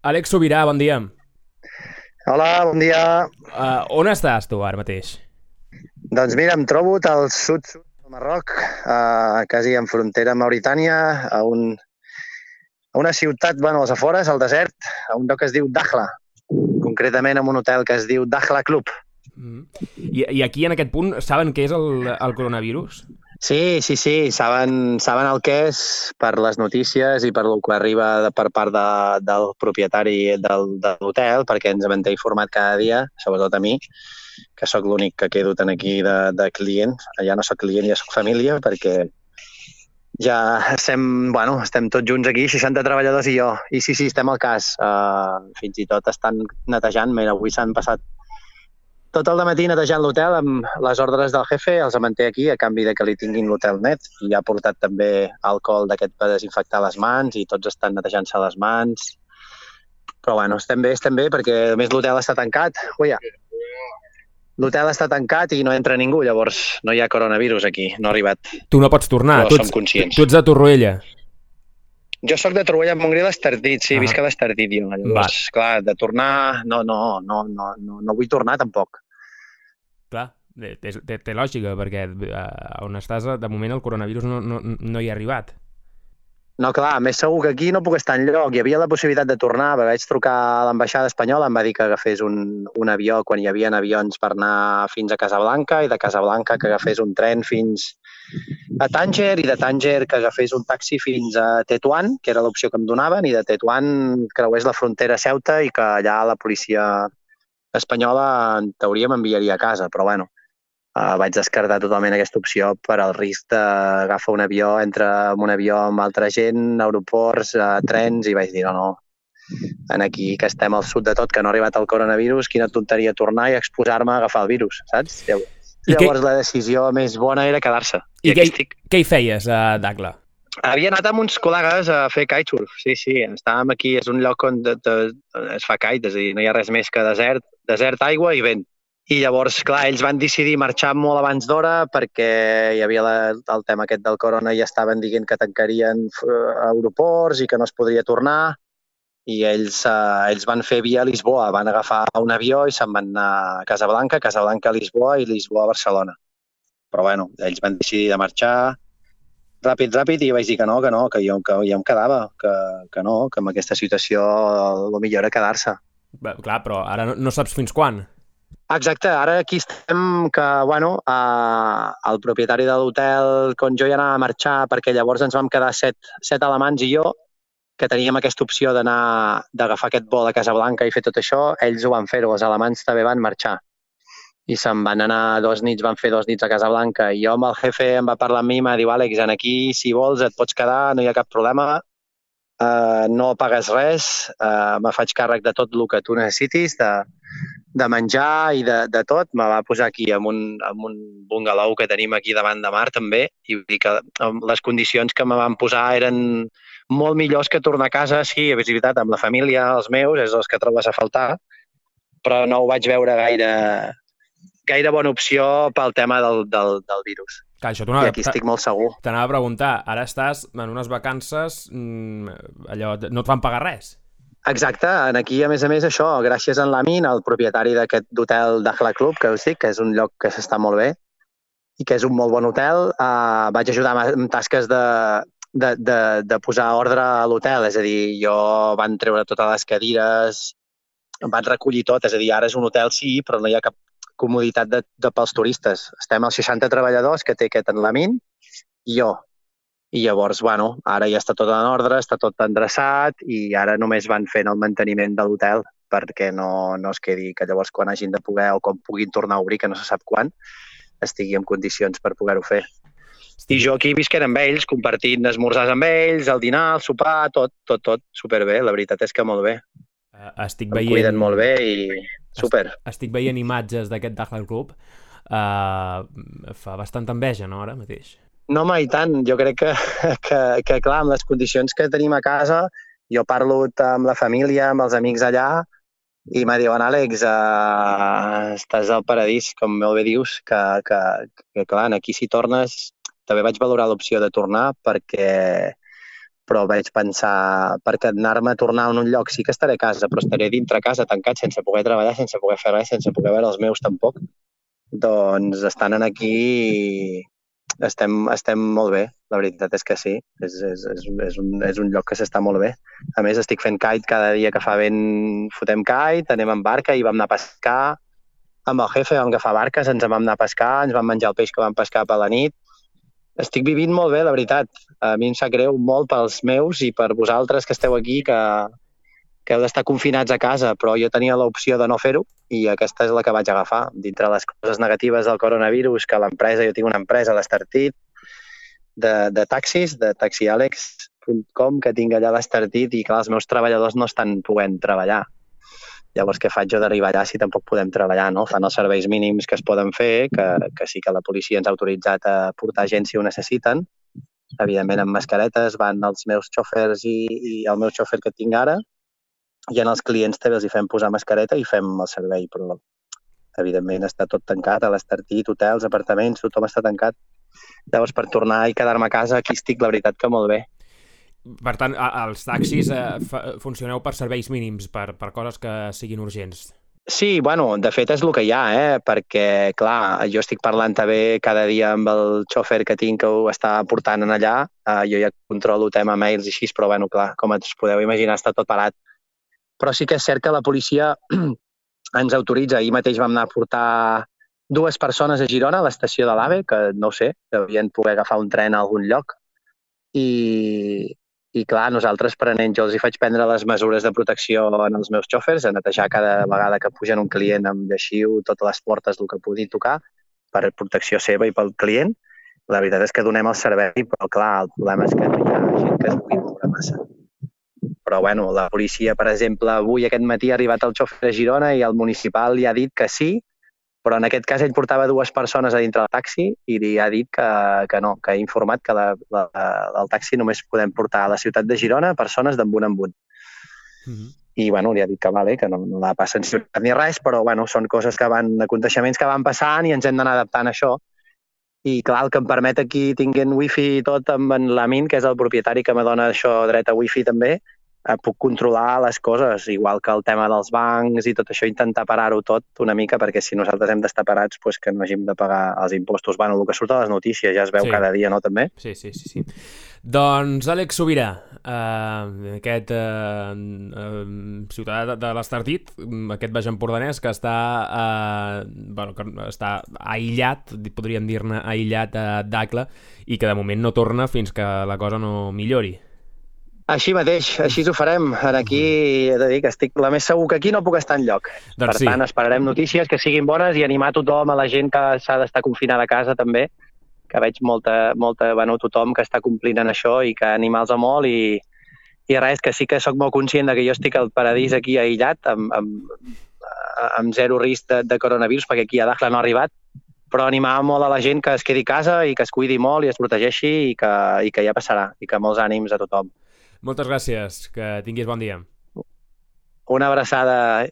Àlex Sobirà, bon dia. Hola, bon dia. On estàs tu ara mateix? Doncs mira, em trobo al sud-sud del Marroc, quasi en frontera amb Mauritània, a una ciutat, bueno, als afores, al desert, a un lloc que es diu Dakhla, concretament en un hotel que es diu Dakhla Club. Mm. I aquí, en aquest punt, saben què és el coronavirus? Sí, saben el que és per les notícies i per el que arriba per part del propietari de l'hotel, perquè ens manté informat cada dia, sobretot a mi, que sóc l'únic que quedo tant aquí de client. Ja no sóc client, ja sóc família, perquè ja estem tots junts aquí, 60 treballadors i jo. I sí, estem al cas. Fins i tot estan netejant. Mira, avui s'han passat tot el matí netejant l'hotel amb les ordres del jefe, els manté aquí a canvi de que li tinguin l'hotel net. I ha portat també alcohol d'aquest per desinfectar les mans i tots estan netejant-se les mans. Però bueno, estem bé perquè a més l'hotel està tancat. Uia, l'hotel està tancat i no entra ningú, llavors no hi ha coronavirus aquí, no ha arribat, Tu no pots tornar, però som conscients. tu ets de Torroella. Jo sóc de Torroella de Montgrí, l'Estartit, sí, visc a l'Estartit jo. Llavors, clar, de tornar, no vull tornar tampoc. Clar, té lògica, perquè on estàs, de moment, el coronavirus no hi ha arribat. No, clar, més segur que aquí no puc estar enlloc. Hi havia la possibilitat de tornar, perquè vaig trucar a l'ambaixada espanyola, em va dir que agafés un avió quan hi havia avions per anar fins a Casablanca i de Casablanca que agafés un tren fins a Tànger i de Tànger que agafés un taxi fins a Tetuan, que era l'opció que em donaven, i de Tetuan creués la frontera a Ceuta i que allà la policia espanyola en teoria m'enviaria a casa, però bueno, vaig descartar totalment aquesta opció per al risc d'agafar un avió, entrar en un avió amb altra gent, aeroports, trens, i vaig dir no, en aquí que estem al sud de tot, que no ha arribat el coronavirus, quina tonteria tornar i exposar-me a agafar el virus, saps? Llavors la decisió més bona era quedar-se. I què hi feies a Dakhla? Havia anat amb uns col·legues a fer kitesurf, sí, estàvem aquí, és un lloc on es fa kite, és a dir, no hi ha res més que desert, aigua i vent. I llavors, clar, ells van decidir marxar molt abans d'hora perquè hi havia el tema aquest del corona i estaven dient que tancarien aeroports i que no es podria tornar, i ells van fer via Lisboa, van agafar un avió i se'n van anar a Casablanca a Lisboa i Lisboa a Barcelona. Però bueno, ells van decidir de marxar ràpid, i jo vaig dir que jo em quedava, que no, que amb aquesta situació el millor era quedar-se. Clar, però ara no saps fins quan. Exacte, ara aquí estem que, bueno, el propietari de l'hotel, quan jo ja anava a marxar, perquè llavors ens vam quedar set alemans i jo, que teníem aquesta opció d'agafar aquest vol a Casablanca i fer tot això, ells ho van fer-ho, els alemans també van marxar. I se'n van anar 2 nits, van fer 2 nits a Casablanca, i jo amb el jefe em va parlar amb mi i m'ha dit, Àlex, aquí, si vols, et pots quedar, no hi ha cap problema, no pagues res, me faig càrrec de tot el que tu necessitis, de menjar i de tot. Me va posar aquí en un bungalow que tenim aquí davant de mar també, i vull dir que les condicions que me van posar eren molt millors que tornar a casa, sí, és veritat, amb la família, els meus, és els que trobes a faltar, però no ho vaig veure gaire bona opció pel tema del virus. Clar, això I aquí estic molt segur. T'anava a preguntar, ara estàs en unes vacances, allò, no et van pagar res? Exacte, aquí a més, això, gràcies a en Lamin, el propietari d'aquest hotel Dakhla Club, que us dic, que és un lloc que s'està molt bé i que és un molt bon hotel, vaig ajudar amb tasques de posar ordre a l'hotel, és a dir, jo van treure totes les cadires, van recollir tot, és a dir, ara és un hotel sí, però no hi ha cap comoditat pels turistes. Estem als 60 treballadors que té aquest en Lamin i jo. I llavors, bueno, ara ja està tot en ordre, està tot endreçat i ara només van fent el manteniment de l'hotel perquè no es quedi que llavors quan hagin de poder o quan puguin tornar a obrir, que no se sap quan, estigui en condicions per poder-ho fer. I jo aquí visquent amb ells, compartint esmorzars amb ells, el dinar, el sopar, tot superbé. La veritat és que molt bé. Em cuiden molt bé i super. Estic veient imatges d'aquest Dakhla Club. Fa bastanta enveja, no, ara mateix? No, mai tant. Jo crec que clar, amb les condicions que tenim a casa, jo parlo amb la família, amb els amics allà, i me diuen, Àlex, estàs al paradís, com molt bé dius, que clar, aquí si tornes, també vaig valorar l'opció de tornar perquè però vaig pensar, perquè anar-me a tornar a un lloc sí que estaré a casa, però estaré dintre casa tancat sense poder treballar, sense poder fer res, sense poder veure els meus tampoc. Doncs estant aquí estem molt bé, la veritat és que sí, és un lloc que s'està molt bé. A més, estic fent kite cada dia que fa vent, fotem kite, anem en barca i vam anar a pescar, amb el jefe vam agafar barques, ens en vam anar a pescar, ens vam menjar el peix que vam pescar per la nit. Estic vivint molt bé, la veritat. A mi em sap greu molt pels meus i per vosaltres que esteu aquí, que heu d'estar confinats a casa, però jo tenia l'opció de no fer-ho i aquesta és la que vaig agafar. Dintre les coses negatives del coronavirus, que l'empresa, jo tinc una empresa d'Estartit, de taxis, de taxialex.com, que tinc allà a l'Estartit i clar, els meus treballadors no estan podent treballar. Llavors, què faig jo d'arribar allà si tampoc podem treballar, no? Fan els serveis mínims que es poden fer, que sí que la policia ens ha autoritzat a portar gent si ho necessiten. Evidentment, amb mascaretes van els meus xòfers i el meu xòfer que tinc ara, i en els clients també els hi fem posar mascareta i fem el servei, però evidentment està tot tancat, a l'Estartit, hotels, apartaments, tothom està tancat. Llavors, per tornar i quedar-me a casa, aquí estic, la veritat, que molt bé. Per tant, els taxis funcioneu per serveis mínims, per coses que siguin urgents. Sí, bueno, de fet és el que hi ha, perquè, clar, jo estic parlant també cada dia amb el xòfer que tinc que ho està portant allà, jo ja controlo tema mails i així, però, bueno, clar, com us podeu imaginar, està tot parat. Però sí que és cert que la policia ens autoritza. Ahir mateix vam anar a portar 2 persones a Girona, a l'estació de l'AVE, que no ho sé, devien poder agafar un tren a algun lloc. I clar, nosaltres prenent, jo els hi faig prendre les mesures de protecció en els meus xòfers, a netejar cada vegada que pugen un client amb lleixiu, totes les portes, el que pugui tocar, per protecció seva i pel client. La veritat és que donem el servei, però clar, el problema és que no hi ha gent que es pugui moure massa. Però, bueno, la policia, per exemple, avui aquest matí ha arribat el xòfer a Girona i el municipal li ha dit que sí, però en aquest cas ell portava 2 persones a dintre del taxi i li ha dit que no, que ha informat que el taxi només podem portar a la ciutat de Girona persones d'en un en un. I, bueno, li ha dit que vale, que no la passen ciutat ni res, però, bueno, són coses que aconteixements que van passant i ens hem d'anar adaptant a això. I, clar, el que em permet aquí tinguent wifi i tot amb en l'Amin, que és el propietari que me dona això dret a wifi també, puc controlar les coses, igual que el tema dels bancs i tot això, intentar parar-ho tot una mica, perquè si nosaltres hem d'estar parats, pues que no hàgim de pagar els impostos. Bueno, el que surt a les notícies ja es veu cada dia, no, també? Sí. Doncs, Àlex Sobirà, aquest ciutadà de l'Estartit, aquest baix empordanès que està aïllat, podríem dir-ne aïllat d'Acla, i que de moment no torna fins que la cosa no millori. Així mateix, així ho farem. Aquí he de dir que estic la més segur que aquí no puc estar enlloc. Doncs per tant, esperarem notícies que siguin bones i animar tothom, a la gent que s'ha d'estar confinada a casa també, que veig tothom que està complint en això i que animar-los molt i res, que sí que sóc molt conscient que jo estic al paradís aquí aïllat amb zero risc de coronavirus, perquè aquí a Dakhla no ha arribat, però animar molt a la gent que es quedi a casa i que es cuidi molt i es protegeixi i que ja passarà, i que molts ànims a tothom. Moltes gràcies, que tinguis bon dia. Una abraçada.